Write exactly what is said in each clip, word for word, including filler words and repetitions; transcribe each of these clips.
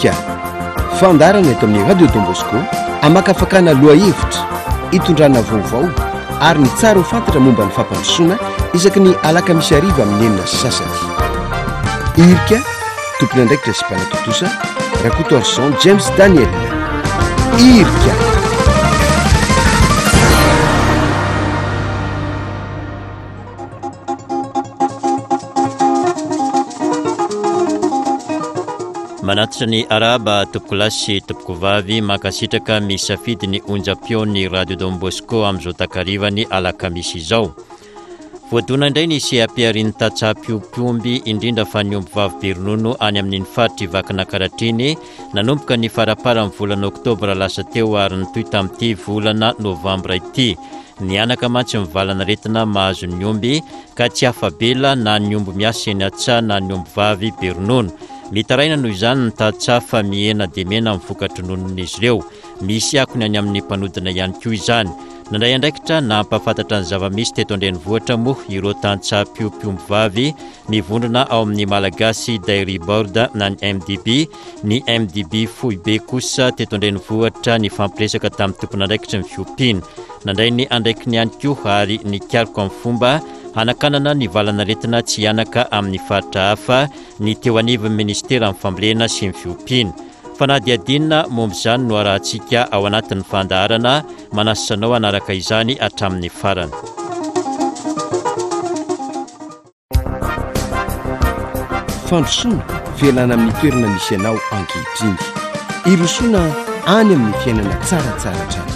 Irika, fandaharana eto amin'ny Radio Don Bosco hamakafakana lohahevitra, hitondrana vaovao ary ny tsara ho fantatra momba ny fampandrosoana isaky ny alakamisy hariva amin'ny enina sy sasany. Irika, tompon'andraikitra sy mpanatontosa, Rakotoarison James Daniel. Irika. Manatitra ny arahaba tompokolahy sy tompokovavy, mankasitraka misafidy ny onjam-peon'ny Radio Don Bosco amin'izao takarivany alakamisy izao. Voadona indray ny seha-piharian'ny tantsaha mpiompy omby, indrindra fa ny omby vavy be ronono any amin'iny faritry Vakinankaratra iny, nanomboka ny faramparan'ny volana oktobra lasa teo ary nitohy tamin'ity volana novambra ity. Nihanaka mantsy ny valanaretina mahazo ny omby ka tsy afa-bela na ny omby miasa eny an-tsaha na ny omby vavy be ronono. Mitaraina noho izany ny tantsaha fa mihena dia mihena ny voka-drononon'izy ireo. Misy akony any amin'ny mpanodina ihany koa izany. Nandray andraikitra nampahafantatra ny zava-misy teto an-drenivohitra moa ireo tantsaha mpiompy omby vavy mivondrona ao amin'ny Malagasy Dairy Board na ny M D B. Ny M D B foibe kosa teto an-drenivohitra nifampiresaka tamin'ny tompon'andraikitry ny fiompiana. Nandray ny andraikiny ihany koa ary nikaroka amin'ny fomba hanakanana ny valanaretina tsy hihanaka amin'ny faritra hafa ny teo anivon'ny ministeran'ny fambolena sy ny fiompiana. Fanadihadiana momba izany no arahantsika ao anatin'ny fandaharana, manasa anao hanaraka izany hatramin'ny farany. Fandrosoana, fialana amin'ny toerana misy anao ankehitriny. Irosoana any amin'ny fiainana tsaratsara hatrany.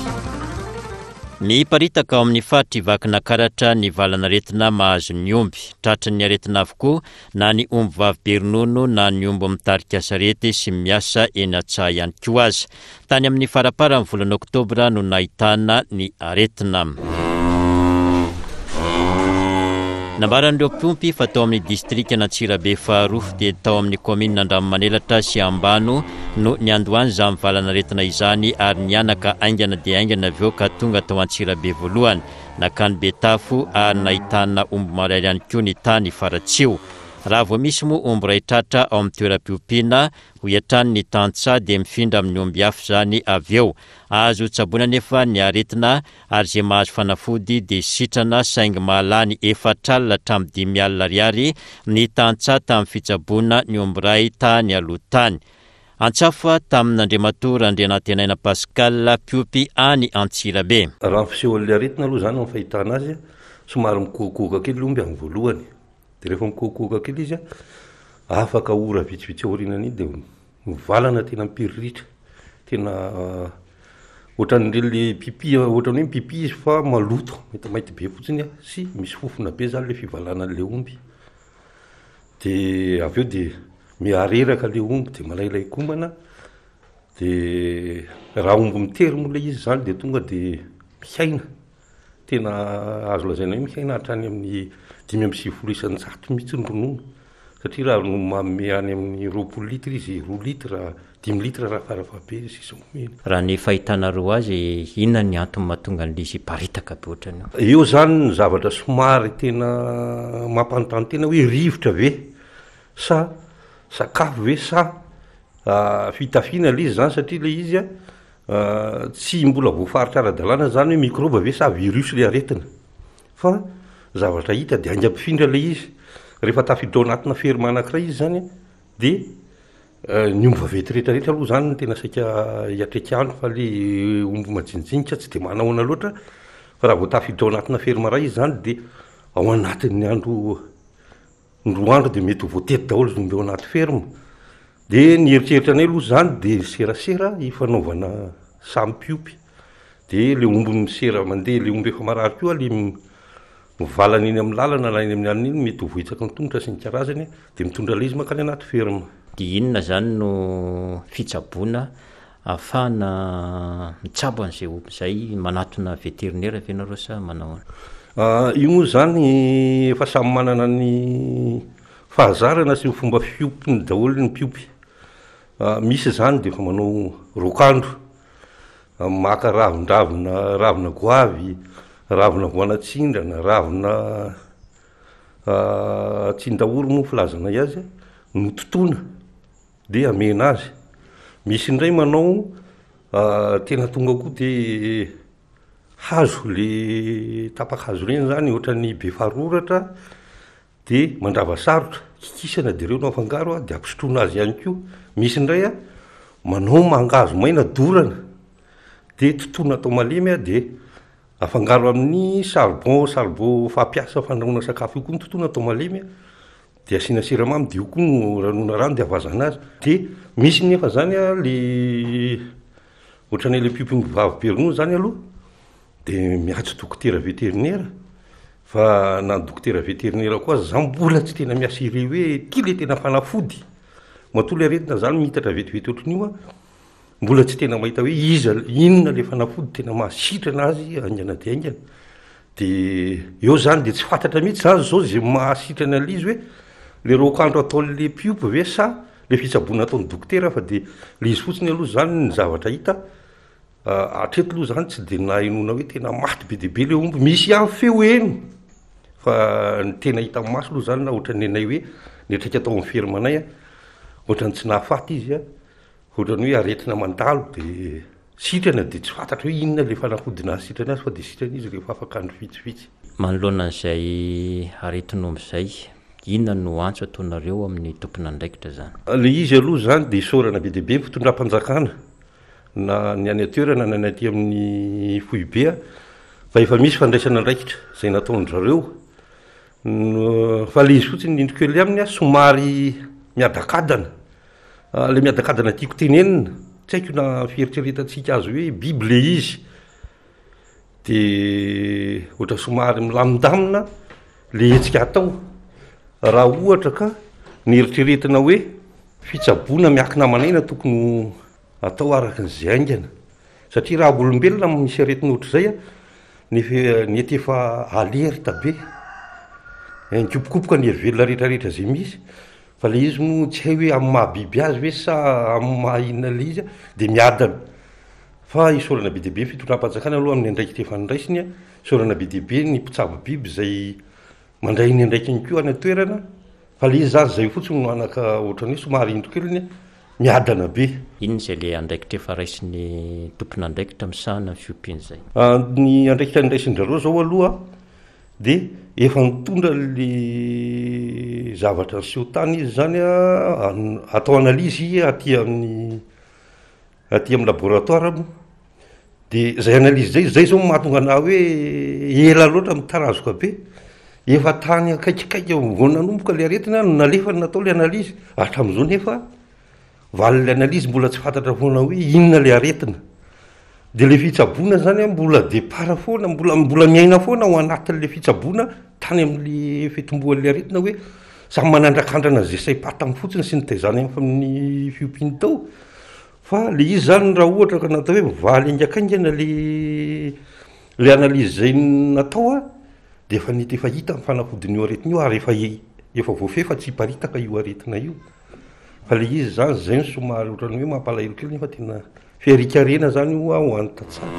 Miparitaka ao amin'ny faritry Vakinankaratra ny valanaretina mahazo ny omby. Tratran'ny aretina avokoa na ny omby vavy be ronono na ny omby mitarika sarety sy miasa eny an-tsaha ihany koa aza. Tany amin'ny faramparan'ny volana oktobra no nahitana ny aretina. Nambaran'ireo mpiompy fa tao amin'ny distrikan'Antsirabe faharoa dia tao amin'ny kaominina Andranomanelatra sy Ambano no niandohany izany valanaretina izany ary nihanaka haingana dia haingana avy eo ka tonga tao Antsirabe voalohany. Nakany Betafo ary nahitana omby marary ihany koa ny tany Faratsiho. Raha vao misy moa omby iray tratra ao amin'ny toeram-piompiana, hoy hatrany ny tantsaha dia mifindra amin'ny omby hafa izany avy eo. Azo tsaboina nefa ny aretina ary izay mahazo fanafody dia sitrana saingy mahalany efatra alina hatramin'ny dimy alina ariary ny tantsaha tamin'ny fitsaboana ny omby iray tany aloha tany. Antsafa tamin'Andriamatoa Randrianantenaina Pascal mpiompy any Antsirabe. Raha ny fisehoan'ilay aretina aloha izany amin'ny fahitana azy, somary mikohokohoka kely ilay omby amin'ny voalohany. Dia rehefa mikohokohoka kely izy, afaka ora vitsivitsy aorianan'iny dia mivalana tena mipiriritra. Tena ohatran'ireny le pipi, ohatran'ny hoe mipipi izy fa maloto, maintimainty be fotsiny sy misy fofona be zany le fivalanan'le omby. Dia avy eo dia mihareraka le omby dia malailay komana. Dia raha omby mitery moa ilay izy zany dia tonga dia mihaina. Tena azo lazaina hoe mihaina hatrany amin'ny dimy amby sivifolo isan-jato mihitsy ny ronono. Satria raha ronono manome any amin'ny roapolo litre izy, roa litre, dimy litre raha farafahabe izy izao omena. Raha ny fahitanareo azy, inona ny antony mahatonga an'ilay izy hiparitaka be ohatran'io? Eo zany ny zavatra somary tena mampanontany tena hoe rivotra ve sa sakafo ve sa fitafiana ilay izy zany, satria ilay izy a, tsy mbola voafaritra ara-dalàna zany hoe microbe ve sa virus ilay aretina. Fa zavatra hita dia haingam-pifindra ilay izy. Rehefa tafiditra ao anatina ferme anankiray izy zany dia ny omby vaventy rehetrarehetra aloha zany no tena saika hiatreka fa le omby majinijinika tsy dia manahoana loatra. Fa raha vao tafiditra ao anatina ferme iray izy zany dia ao anatin'ny andro ny roa andro dia mety ho voatety daholo izy omby ao anaty ferme. Dia ny eritreritra anay aloha zany dia serasera ifanaovana samy mpiompy. Dia le omby misera mandeha, le omby efa marary koa le mivalana eny amin'ny lalana na eny amin'ny alina iny mety ho voahitsaka ny tongotra sy ny karazany dia mitondra ilay izy mankany anaty ferme. Dia inona zany no fitsaboana ahafahana mitsabo an'izay omby izay? Manatona vétérinaire ve nareo sa manao ahoana? Ah, io moa zany efa samy manana ny fahazarana sy ny fomba fiompiny daholo ny mpiompy. Ah, misy zany dia efa manao rokandro, ah, maka ravindravina, ravina goavy, ravina voanatsindrana, ravina, ah, tsindaory moa filazanay azy, nototoana dia amena azy. Misy indray manao tena tonga koa de hazo le tapa-kazo ireny zany, ohatran'ny be faroratra de mandrava sarotra, kikisana de ireo no afangaro a, de ampisotroina azy ihany koa. Misy indray a manao mangahazo maina dorana de totoina atao malemy a, de afangaro amin'ny charbon, charbon fampiasa fandrahoana sakafo io koa no totoina atao malemy a, de asiana siramamy, de io koa no ranoana rano de avazana azy. De misy nefa zany a le ohatran'ny le mpiompy vavy be ronono zany aloha de miantso dokotera vétérinaire, fa na ny dokotera vétérinaire koa aza zany mbola tsy tena mi-assurer hoe ty le tena fanafody. Matoa le aretina zany mihitatra vetivety ohatran'io a, mbola tsy tena mahita hoe iza inona le fanafody tena mahasitrana azy haingana de haingana. De eo zany de tsy fantatra mihitsy zany zao zay mahasitrana an'le izy, hoe le raokandro ataon'le mpiompy ve sa le fitsaboana ataon'ny dokotera, fa de le izy fotsiny aloha zany ny zavatra hita hatreto aloha zany tsy de nahenoana hoe tena maty be dia be le omby. Misy ihany feo heno, fa ny tena hita maso aloha zany na ohatran'ny anay hoe niatrika atao amin'ny ferme-nay a, ohatran'ny tsy nahafaty izy a, ohatran'ny hoe aretina mandalo de sitrana, de tsy fantatra hoe inona le fanafody nahasitrana azy, fa de sitrana izy rehefa afaka andro vitsivitsy. Manoloana an'izay aretin'omby izay, inona no antso ataonareo amin'ny tompon'andraikitra zany? Le izy aloha zany de isaorana be dia be ny fitondram-panjakana, na ny any an-toerana na ny aty amin'ny foibe a, fa efa misy fandraisana andraikitra zay nataon-dry zareo. Fa le izy fotsiny indriko kely aminy a, somary miadakadana. Le miadakadana tiako tenenina, tsy haiko na fieritreretantsika azy hoe biby le izy, de ohatra somary milamindamina le hetsika atao. Raha ohatra ka ny eritreretina hoe fitsaboana miankina aman'aina tokony atao araka n'izay haingana, satria raha olombelona misy aretina ohatr'izay a, nefa nety efa alerte be, nikopokopoka ny herivelona rehetrarehetra zay misy, fa le izy moa tsy hay hoe amin'ny mahabiby azy ve sa amin'ny maha inona le izy a, de miadana. Fa isaorana be dia be ny fitondram-panjakana aloha amin'ny andraikitra efa noraisiny a, isaorana be dia be ny mpitsabo biby zay mandray ny andraikiny koa any an-toerana, fa le izy zany zay fotsiny no anaka ohatran'ny hoe somary indro keliny miadana be. Inona izay le andraikitra efa raisin'ny tompon'andraikitra misahana ny fiompiana izay? Ny andraikitra noraisin-dry zareo zao aloha de efa nitondra le zavatra niseho tany izy zany a, atao analyse aty amin'ny aty amin'ny laboratoire moa, de zay analyse zay zay zao mahatonga anahy hoe ela loatra mitarazoka be. Efa tany akaikikaiky vao nanomboka le aretina no nalefa natao le analyse, hatramin'izao nefa valin'le analyse mbola tsy fantatra foana hoe inona le aretina. De le fitsaboana zany a mbola départ foana, mbola mbola miaina foana ao anatin'le fitsaboana tany amin'le fitomboan'le aretina, hoe samy manandrakandrana zay saim-patany fotsiny sy nitaizany amin'ny fiompiany tao. Fa le izy zany raha ohatra ka natao hoe mivaly haingakaingana le le analyse zay natao a, de efa nety efa hita ny fanafodin'io aretina io, ary efa efa voafehy fa tsy hiparitaka io aretina io. Fa le izy zany zay no somary ohatran'ny hoe mampalahelo kely, nefa tena fiarikarena zany io a ho an'ny tantsaha.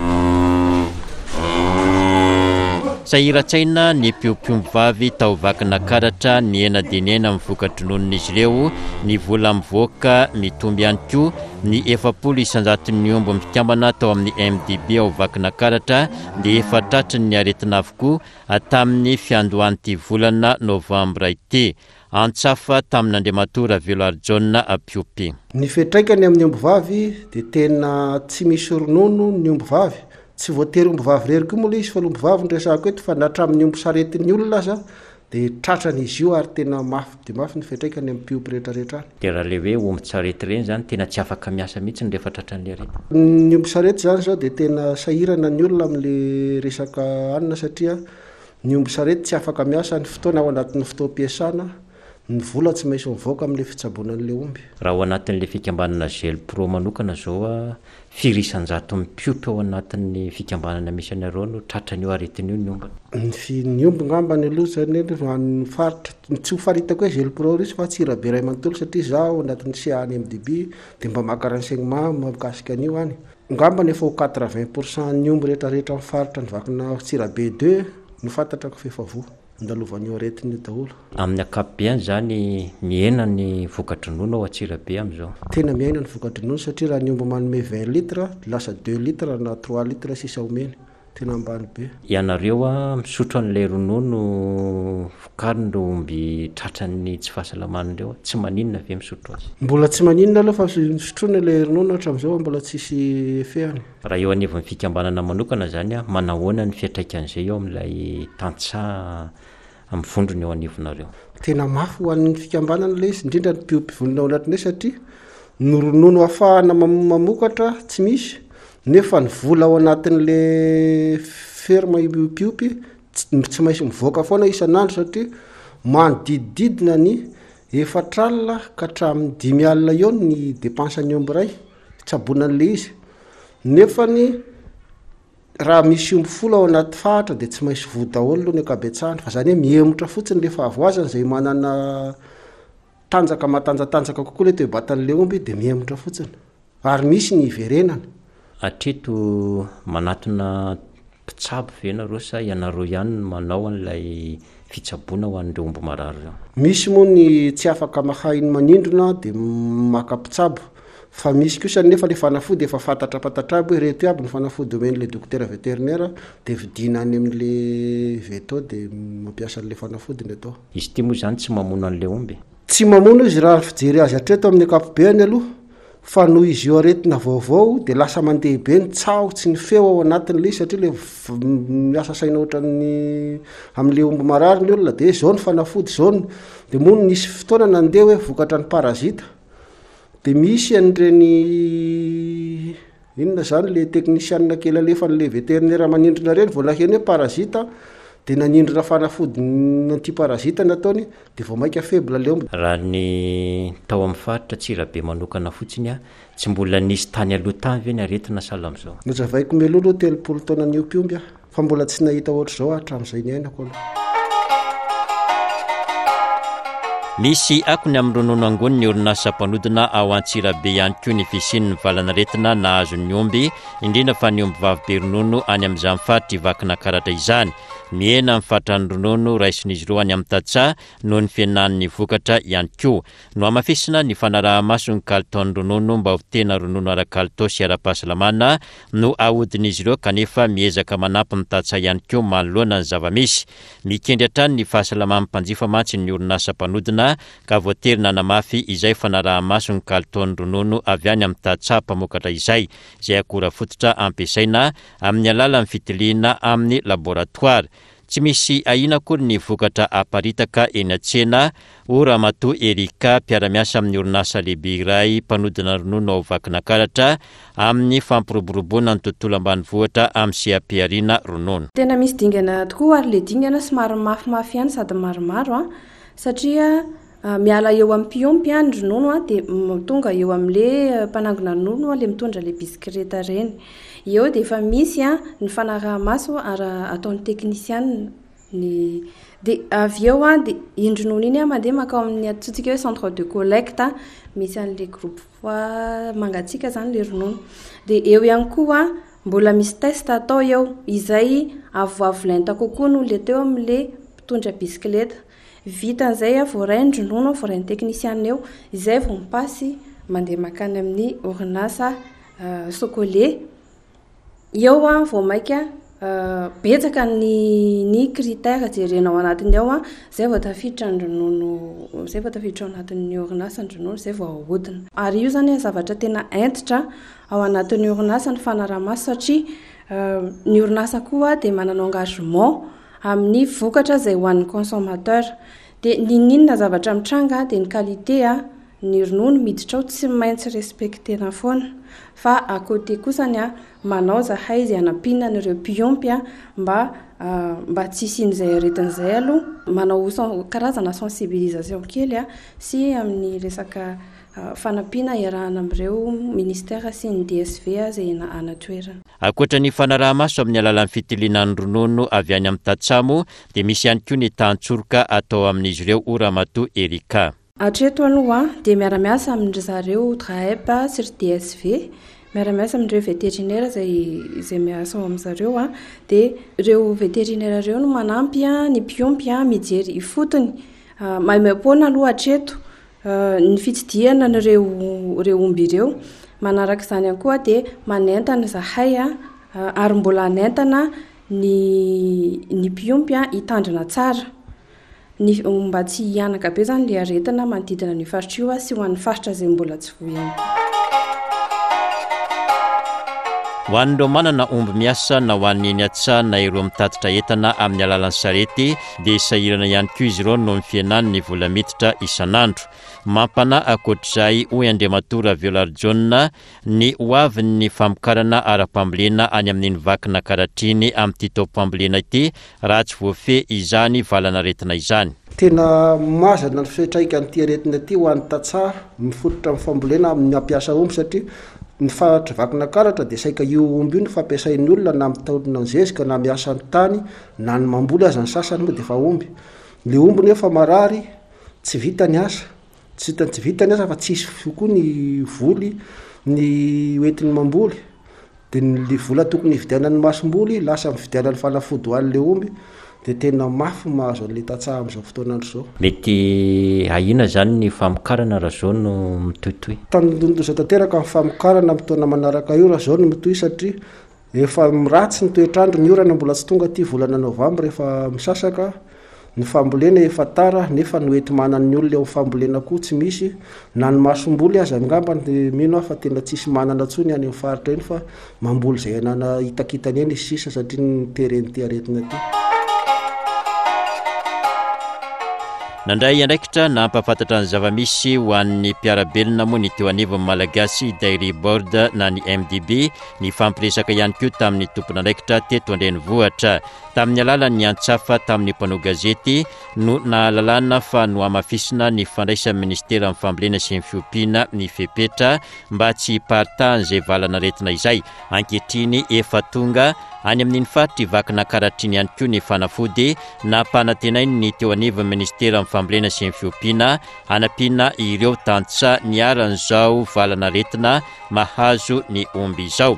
Sahiran-tsaina ny mpiompy vavy tao Vakinankaratra. Nihena dia nihena amin'ny voka-drononon'izy ireo, ny vola mivoaka mitomby ihany koa. Ny efapolo isanjaton'ny omby mikambana tao amin'ny M D B ao Vakinankaratra dia efa tratry ny aretina avokoa tamin'ny fiandohan'ity volana novambra ity. Antsafa tamin'Andriamatoa Ravelo Arjaona mpiompy. Ny fiantraikany amin'ny ombivavy de tena tsy misy ronono ny ombivavy. Tsy voatery ombivavy rery koa moa le izy, fa ombivavy no resahako eto, fa na hatramin'ny omby saretin'ny olona aza de tratrany izy io, ary tena mafy de mafy ny fiantraikany amin'ny mpiompy rehetrarehetra any. De raha le hoe omby tsarety reny zany, tena tsy afaka miasa mihitsy ny rehefa tratran'le aretina? Ny omby sarety zany zao de tena sahirana ny olona am'le resaka hanina, satria ny omby sarety tsy afaka miasa ny fotoana ao anatin'ny fotoam-piasana, ny vola tsy maintsy mivoaka am'le fitsaboana an'le omby. Raha ao anatin'le fikambanana Gelpro manokana zao a, firy isanjato mpiompy ao anatin'ny fikambanana misy anareo no tratran'io aretina io ny ombiny? Ny fi ny omby ngambany aloha zany ny faritra tsy ho faritako hoe Gelpro izy fa Antsirabe ray manontolo, satria za ao anatin'ny C A ny M D B de mba maka renseignement mahakasika an'io any. Ngambany efa ho quatre-vingt pour cent ny omby rehetrarehetra amin'ny faritra ny Vakina Antsirabe deux no fantatrako fa efa voa. andalovan'io aretina io daholo. Amin'ny ankapobeany izany mihena ny voka-dronono ao Antsirabe amin'izao. Tena mihena ny voka-dronono satria raha ny omby manome vingt litres lasa deux litres na trois litres sisa omeny. Tena ambany be. Ianareo misotro an'ilay ronono vokarin'ireo omby tratran'ny tsy fahasalamana ireo, tsy maninona ve misotro azy? Mbola tsy maninona aloha fa sotroina ilay ronono hatramin'izao, mbola tsisy effet-ny. Raha eo anivon'ny fikambanana manokana izany, manahoana ny fiantraikan'izay eo amin'ilay tantsaha mivondrona eo anivonareo? Tena mafy ho an'ny fikambanana ilay izy, indrindra ny mpiompy vonona ao anatin'ilay satria ny ronono ahafahana mam-, mamokatra tsy misy, nefa ny vola ao anatin'le ferme mpiompy tsy, tsy maintsy mivoaka foana isan'andro satria manodidididina ny efatra alina ka hatramin'ny dimy alina eo ny dépense ny omby iray fitsaboana an'le izy. Nefa ny raha misy omby folo ao anaty faritra de tsy maintsy voa daholo aloha ny ankabetsahany, fa zany hoe mihemotra fotsiny le fahavoazana izay manana tanjaka matanjatanjaka kokoa le toe-batan'le omby de mihemotra fotsiny ary misy ny hiverenana. Hatreto manatona mpitsabo ve nareo sa ianareo ihany no manao an'ilay fitsaboana ho an'ireo omby marary ireo? Misy moa ny tsy afaka mahay ny manindrona de maka mpitsabo, fa misy kosa nefa le fanafody efa fantatrapantatra aby hoe reto aby ny fanafody omen'le dokotera vétérinaire de vidiana any amin'le veto de mampiasa an'le fanafody ny atao. Izy ity moa zany tsy mamono an'le omby? Tsy mamono izy raha fijery azy hatreto amin'ny ankapobeany aloha, fa noho izy io aretina vaovao de lasa mandeha be ny tsaho tsy ny feo ao anatin'le izy satria le v-, miasa saina ohatran'ny amin'le omby marary ny olona de zao ny fanafody zao ny, de moa nisy fotoana nandeha hoe vokatra ny parazita de misy an'ireny inona zany le teknisianina kely alefan'le vétérinaire manindrona ireny vao naheno hoe parazita de nanindrona fanafody antiparazita nataony de vao mainka faible le omby. Raha ny tao amin'ny faritra Antsirabe manokana fotsiny a, tsy mbola nisy tany aloha tany ve ny aretina sahala amin'izao? Nozavaiko mialoha aloha telopolo taona niompy omby aho, fa mbola tsy nahita ohatr'izao hatramin'izay niainako aloha. Misy akony amin'ny ronono angoniny ny orinasa mpanodina ao Antsirabe ihany koa ny fisian'ny valanaretina nahazo ny omby, indrindra fa ny omby vavy be ronono any amin'izany faritra Vakinankaratra izany. Mihena ny fatran'ny ronono raisin'izy ireo any amin'ny tantsaha noho ny fihenan'ny vokatra ihany koa. Nohamafisina ny fanaraha-maso ny kalitaon'ny ronono mba ho tena ronono ara-kalitao sy ara-pahasalamana no ahodin'izy ireo, kanefa miezaka manampy ny tantsaha ihany koa manoloana ny zava-misy. Mikendry hatrany ny fahasalaman'ny mpanjifa mantsy ny orinasa mpanodina ka voatery nanamafy izay fanaraha-maso ny kalitaon'ny ronono avy any amin'ny tantsaha mpamokatra izay, izay akora fototra ampiasaina amin'ny alalan'ny fitiliana amin'ny laboratoara. Tsy misy ahiana akory ny vokatra aparitaka eny an-tsena, hoy Ramatoa Erika, mpiara-miasa amin'ny orinasa lehibe iray mpanodina ronono ao Vakinankaratra, amin'ny fampiroboroboana ny tontolo ambanivohitra amin'ny seha-pihariana ronono. Tena misy dingana tokoa ary le dingana somary mafimafy ihany sady maromaro a, satria miala eo amin'ny mpiompy a, ny ronono a, dia m-, tonga eo amin'le mpanangona ronono a, le mitondra le bisikileta ireny. Eo dia efa misy a, ny fanaraha-maso ara ataon'ny teknisianina. Ny dia avy eo a, dia iny ronono iny a, mandeha mankao amin'ny antsointsika hoe centre de collecte a, misy an'le groupe froid mangatsiaka zany le ronono. Dia eo ihany koa a, mbola misy test atao eo izay avoavo lenta kokoa noho le teo amin'le mpitondra bisikileta. Vita an'izay a, voaray ny ronono, voaray ny teknisianina eo, izay vao mipasy mandeha mankany amin'ny orinasa, euh, Socolait. Eo a, vao mainka, euh, betsaka ny, ny critère jerena ao anatiny ao a, izay vao tafiditra ny ronono, izay vao tafiditra ao anatin'ny orinasa ny ronono, izay vao ahodina. Ary io zany a, zavatra tena hentitra ao anatin'ny orinasa ny fanaraha-maso satria, euh, ny orinasa koa dia manana engagement amin'ny vokatra izay ho an'ny consommateur. Dia n'inon'inona zavatra mitranga dia ny qualité a, ny ronono miditra ao tsy maintsy respectena foana. Fa à côté kosany a, manao zahay izay hanampiana an'ireo mpiompy a, mba, ah, mba tsy hisian'izay aretina izay aloha. Manao sen-, karazana sensibilisation kely a, sy amin'ny resaka, ah, fanampiana iarahana amin'ireo ministère sy ny D S V a, izay ena-, any an-toerana. Ankoatra ny fanaraha-maso amin'ny alalan'ny fitiliana ny ronono avy any amin'ny tatsamo dia misy ihany koa ny tantsoroka atao amin'izy ireo, hoy Ramatoa Erika. Hatreto aloha dia miara-miasa amin-dry zareo D R A E P sy ry D S V, Miara-miasa amin'ireo vétérinaire izay izay miasa ao amin'zareo a, dia ireo vétérinaire ireo no manampy a ny mpiompy a mijery ifotony maimaim-poana aloha hatreto ny fitsidihana an'ireo ireo omby ireo. Manaraka izany ihany koa dia manentana izahay a ary mbola hanentana ny ny mpiompy a hitandrina tsara ny mba tsy hihanaka be zany le aretina manodidina an'io faritra io a sy ho an'ny faritra izay mbola tsy voa ihany koa. Ho an'ireo manana omby miasa na ho an'ny eny an-tsaha na ireo mitatitra entana amin'ny alalan'ny sarety dia sahirana ihany koa izy ireo noho ny fihenan'ny vola miditra isan'andro. Mampanahy ankoatr'izay, hoy Andriamatoa Ravelarijaona, ny ho avin'ny famokarana ara-pambolena any amin'iny Vakinankaratra iny amin'ity taom-pambolena ity raha tsy voafehy izany valanaretina izany. Tena mazana ny fiantraikan'ity aretina ity ho an'ny tantsaha mifototra amin'ny fambolena amin'ny mampiasa omby satria ny faritra Vakinankaratra dia saika io omby io no fampiasain'ny olona na mitaonina ny zezika na miasa ny tany na ny mamboly aza ny sasany moa dia efa omby. Le omby nefa marary tsy vita ny asa, tsy vita, tsy vita ny asa fa tsisy koa ny voly ny hoentiny mamboly, dia ny vola tokony hividianany masomboly lasa mividianany fanafody ho an'le omby, dia tena mafy mahazo an'le tantsaha amin'izao fotoan'andro izao. Mety ahiana zany ny famokarana raha zao no mitohitohy? Tandindonin-doza tanteraka ny famokarana amin'ny taona manaraka io raha zao no mitohy satria efa ratsy ny toetr'andro, ny orana mbola tsy tonga aty volana novambra efa misasaka, ny fambolena efa tara nefa ny hoenti-manan'ny olona eo amin'ny fambolena koa tsy misy, na ny masomboly aza angamba dia mino aho fa tena tsisy manana intsony any amin'ny faritra iny fa mamboly izay anana hitakitany eny izy sisa satria ny teren'ity aretina ity. Nandray andraikitra nampahafantatra ny zava-misy ho an'ny mpiara-belona moa ny teo anivon'ny Malagasy Dairy Board na ny M D B, nifampiresaka ihany koa tamin'ny tompon'andraikitra teto an-drenivohitra. Tamin'ny alalan'ny antsafa tamin'ny mpanao gazety no nahalalana fa nohamafisina ny fandraisan'ny ministeran'ny fambolena sy ny fiompiana ny fepetra mba tsy hiparitahan'izay valanaretina izay. Ankehitriny efa tonga any amin'iny faritra Vakinankaratra iny ihany koa ny fanafody nampanantenainy ny teo anivon'ny ministeran'ny fambolena sy ny fiompiana hanampiana ireo tantsaha niharan'izao valanaretina mahazo ny omby izao.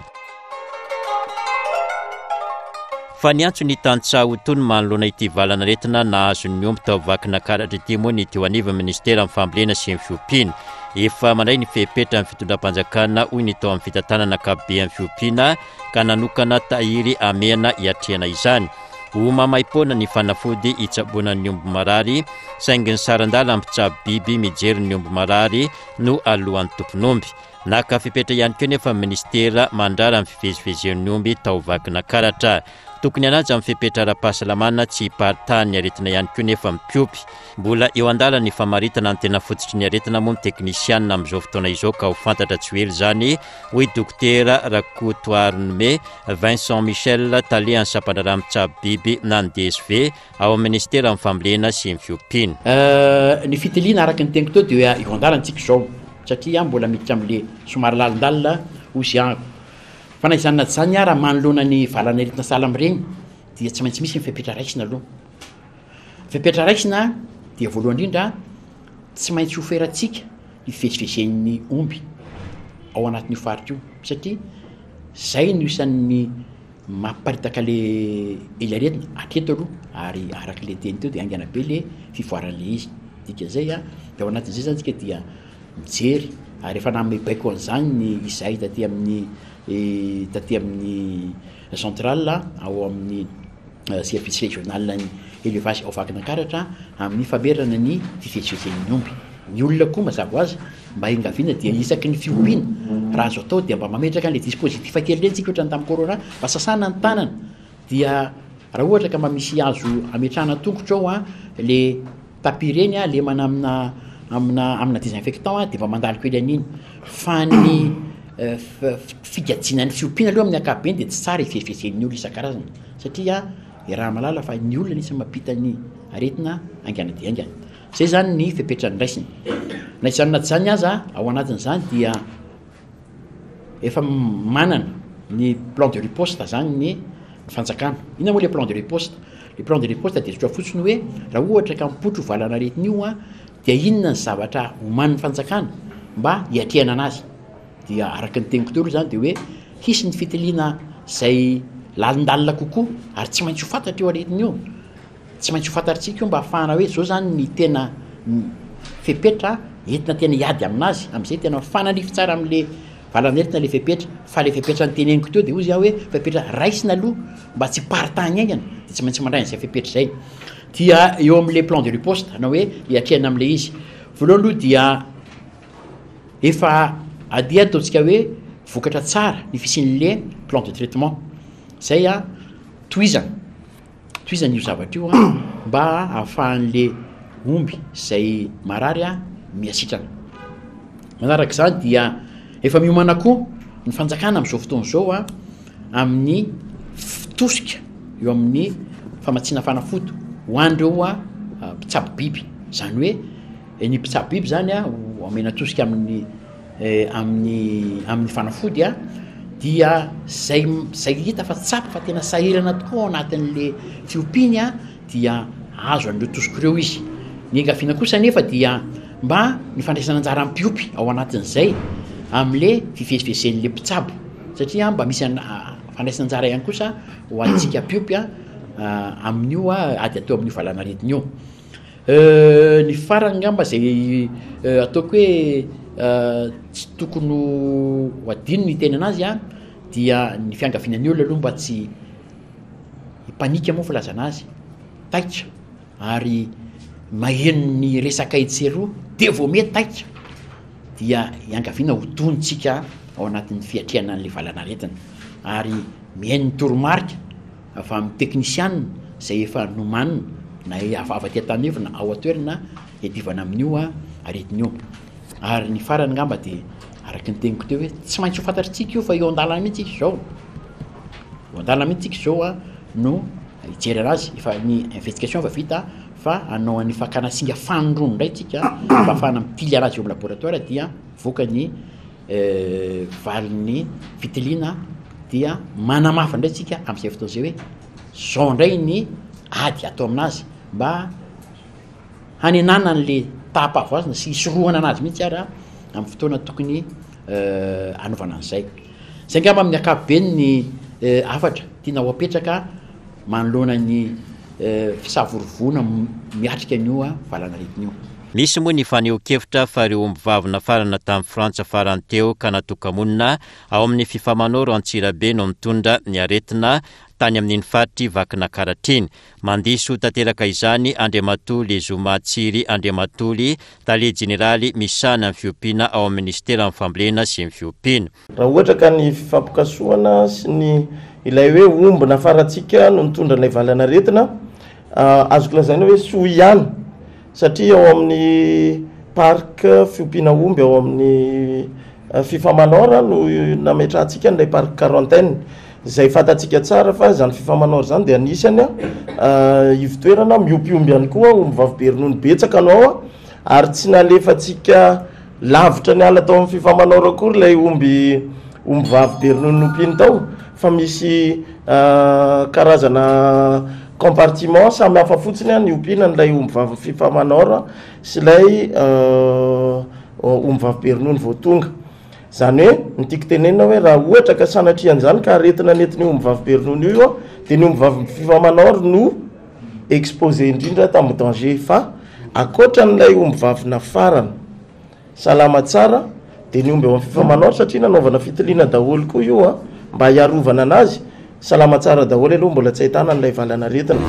Fa niantso ny tantsaha ho tony manoloana ity valanaretina nahazo ny omby tao Vakinankaratra ity moa ny teo anivon'ny ministeran'ny fambolena sy ny fiompiana. Efa mandray ny fepetra ny fitondram-panjakana hoy ny tao amin'ny fitantanana ankapoben'ny fiompiana ka nanokana tahiry hamehana hiatrehana izany. Ho maimaim-poana ny fanafody hitsaboana ny omby marary, saingy ny saran-dalana mpitsabo biby mijery ny omby marary no alohan'ny tompon'omby. Naka fepetra ihany koa nefa ny ministera mandrara ny fivezivezen'ny omby tao Vakinankaratra. Tokony hanaja ny fepetra ara-pahasalamana tsy hiparitahan'ny aretina ihany koa nefa mpiompy. Mbola eo an-dalana ny famaritana ny tena fototry ny aretina moa ny teknisianina amin'izao fotoana izao ka ho fantatra tsy ho ela izany, hoy Dokotera Rakotoarinome Vincent Michel, talehan'ny sampandraharaha mitsabo biby na ny D S V ao amin'ny ministeran'ny fambolena sy ny fiompiana. Euh, ny fitiliana araka ny teniko teo dia eo an-dalantsika izao satria mbola miditra amin'le somary lalindalina hoy izy. Fa na izany na tsy izany ara manoloana ny valanaretina sahala amin'ireny dia tsy maintsy misy ny fepetra raisina aloha. Fepetra raisina dia voalohany indrindra tsy maintsy ho ferantsika ny fivezivezen'ny omby ao anatin'io faritra io satria zay no isan'ny mampiparitaka le ilay aretina hatreto aloha ary araka le teny teo dia haingana be le fivoaran'le izy. Dikan'izay a, dia ao anatin'izay zany tsika dia mijery ary efa nanome baiko an'izany ny izahay taty amin'ny, eh, taty amin'ny centrale ao amin'ny, eh, service régional ny élevage ao Vakinankaratra amin'ny famerana ny fivezivezen'ny omby. Ny olona koa mazava ho azy mba engaviana dia isaky ny fiompiana raha azo atao dia mba mametraka an'ilay dispositif kely ireny tsika ohatran'ny tamin'ny corona mba sasana ny tanana dia raha ohatra ka mba misy azo ametrahana tongotra ao a le tapis ireny a lemana amina, amina, amina désinfectant a dia mba mandalo kely an'iny. Fa ny, eh, f-, figajiana ny fiompiana aloha amin'ny ankapobeny dia tsy tsara hivezivezen'ny olona isan-karazany satria iaraha mahalala fa ny olona anisany mampita ny aretina haingana dia haingana. Zay zany ny fepetra noraisina. Na izany na tsy izany aza ao anatin'izany dia efa manana ny plan de riposte zany ny fanjakana. Inona moa le plan de riposte? Le plan de riposte dia tsotra fotsiny hoe raha ohatra ka mipotro valanaretina io a dia inona ny zavatra omanin'ny fanjakana mba hiatrehana anazy. Dia araka ny teniko teo aloha zany de hoe hisy ny fitiliana zay lalindalina kokoa, ary tsy maintsy ho fantatra io aretina io, tsy maintsy ho fantatritsika io mba hahafahana hoe zao zany ny tena fepetra entina tena hiady aminazy, am'izay tena mifanandrify tsara am'le valanaretina le fepetra. Fa le fepetra nyteneniko teo de hozy aho hoe fepetra raisina aloha mba tsy hiparitahany haingana, de tsy maintsy mandray an'izay fepetra zay. Dia eo am'le plan de riposte na hoe hiatrehana am'le izy, voalohany aloha dia efa adia ataontsika hoe vokatra tsara ny fisian'le plan de traitement zay a, tohizana tohizana io zavatra io a, mba ahafahan'le omby zay marary a miasitrana. Manaraka izany dia efa miomana koa ny fanjakana amin'izao fotoana izao a amin'ny tosika eo amin'ny famatsiana fanafody ho an'ireo a mpitsabo biby. Izany hoe ny mpitsabo biby zany a ho omena tosika amin'ny, amin'ny, amin'ny fanafody a, dia zay, zay hita fa tsapa fa tena sahirana tokoa ao anatin'le fiompiany a, dia azo an'ireo tosika ireo izy. Ny angaviana kosa nefa dia mba ny fandraisana anjara amin'ny mpiompy ao anatin'izay am'le fivezivezen'le mpitsabo, satria mba misy an-, fandraisana anjara ihany kosa ho antsika mpiompy a, amin'io a ady atao amin'io valanaretina io. Ny farany angamba zay ataoko hoe tsy tokony ho adino ny teny anazy a, dia ny fiangaviana ny olona aloha mba tsy hipanika moa filazana azy, taitra ary maheno ny resaka etsy sy eroa de vao mety taitra, dia iangaviana ho tontsika ao anatin'ny fiatrehana an'le valanaretina, ary mihaino ny toromarika avy amin'ny teknisianina zay efa nomanina na avy aty an-tanevina ao an-toerana iadivana amin'io a aretina io. Ary ny farany angamba de araka ny teniko teo hoe tsy maintsy ho fantatritsika io fa eo an-dalana mihitsy isika izao, eo an-dalana mihitsy isika izao a no hijery anazy. Efa ny investigation efa vita fa hanao an'ny fakana singa fanindroany indray tsika mba ahafahana mitily anazy eo amin'ny laboratoire, dia mivoaka ny valin'ny fitiliana, dia manamafy indray tsika amin'izay fotoana izay hoe zao indray ny ady atao aminazy mba hanenana an'le taham-pahavoazana sy hisorohana anazy mihitsy ara amin'ny fotoana tokony hanaovana an'izay. Zay angamba amin'ny ankapobeny ny hafatra tiana ho apetraka manoloana ny fisavorovona miatrika an'io valanaretina io. Misy moa ny fanehoan-kevitra fa ireo omby vavy nafarana tamin'ny Frantsa farany teo ka natoka-monina ao amin'ny Fifamanoro Antsirabe no mitondra ny aretina tany amin'iny faritry Vakinankaratra iny. Mandiso tanteraka izany Andriamatoa Lezoma Tsiry Andriamatoly, tale jeneraly misahana ny fiompiana ao amin'ny ministeran'ny fambolena sy ny fiompiana. Raha ohatra ka ny fifampikasohana sy ny ilay hoe omby nafarantsika no nitondra ilay valanaretina, azoko lazaina hoe soa ihany, satria ao amin'ny parc fiompiana omby ao amin'ny Fifamanor no nametrahantsika an'ilay parc quarantaine, izay fantatsika tsara fa izany Fifamanor izany dia anisany ivon-toerana miompy omby ihany koa, omby vavy be ronono betsaka no ao, ary tsy nalefantsika lavitra ny ala tao amin'ny Fifamanor akory ilay omby, omby vavy be ronono nompiany tao, fa misy karazana compartiment samy hafa fotsiny ny ompiana an'ilay omby vavy Fifamanor sy ilay omby vavy be ronono vao tonga. Izany hoe ny tiako tenenina hoe raha ohatra ka sanatria an'izany ka aretina nentin'io omby vavy be ronono io, dia ny omby vavy Fifamanor no exposé indrindra tamin'ny danger. Fa ankoatran'ilay omby vavy nafarana salama tsara, dia ny omby ao amin'ny Fifamanor, satria nanaovana fitiliana daholo koa io a, mba hiarovana anazy, salama tsara daholo aloha, mbola tsy ahitana an'ilay valanaretina.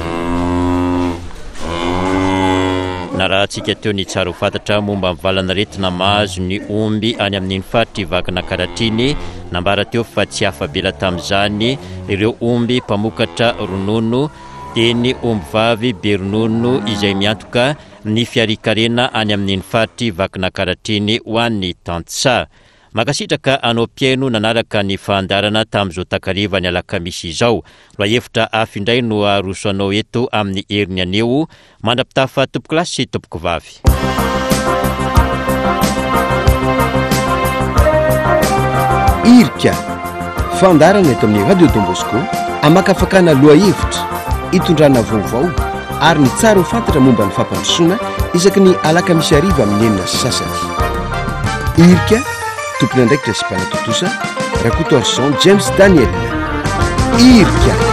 Narahantsika teo ny tsara ho fantatra momba ny valanaretina mahazo ny omby any amin'iny faritry Vakinankaratra iny. Nambara teo fa tsy afa-bela tamin'izany ireo omby mpamokatra ronono, dia ny omby vavy be ronono izay miantoka ny fiarikarena any amin'iny faritry Vakinankaratra iny ho an'ny tantsaha. Mankasitraka anao mpihaino nanaraka ny fandaharana tamin'izao takariva ny alakamisy izao. Lohahevitra hafa indray no aroso anao eto amin'ny heriny anio. Mandra-pitafa tompoko lahy sy tompoko vavy. Irika, fandaharana eto amin'ny Radio Don Bosco, amakafakana lohahevitra, itondrana vaovao ary ny tsara ho fantatra momba ny fampandrosoana isaky ny alakamisy hariva amin'ny enina sy sasany. Irika, Tompon'andraikitra sy mpanatontosa, Rakotoarison James Daniel. Irika.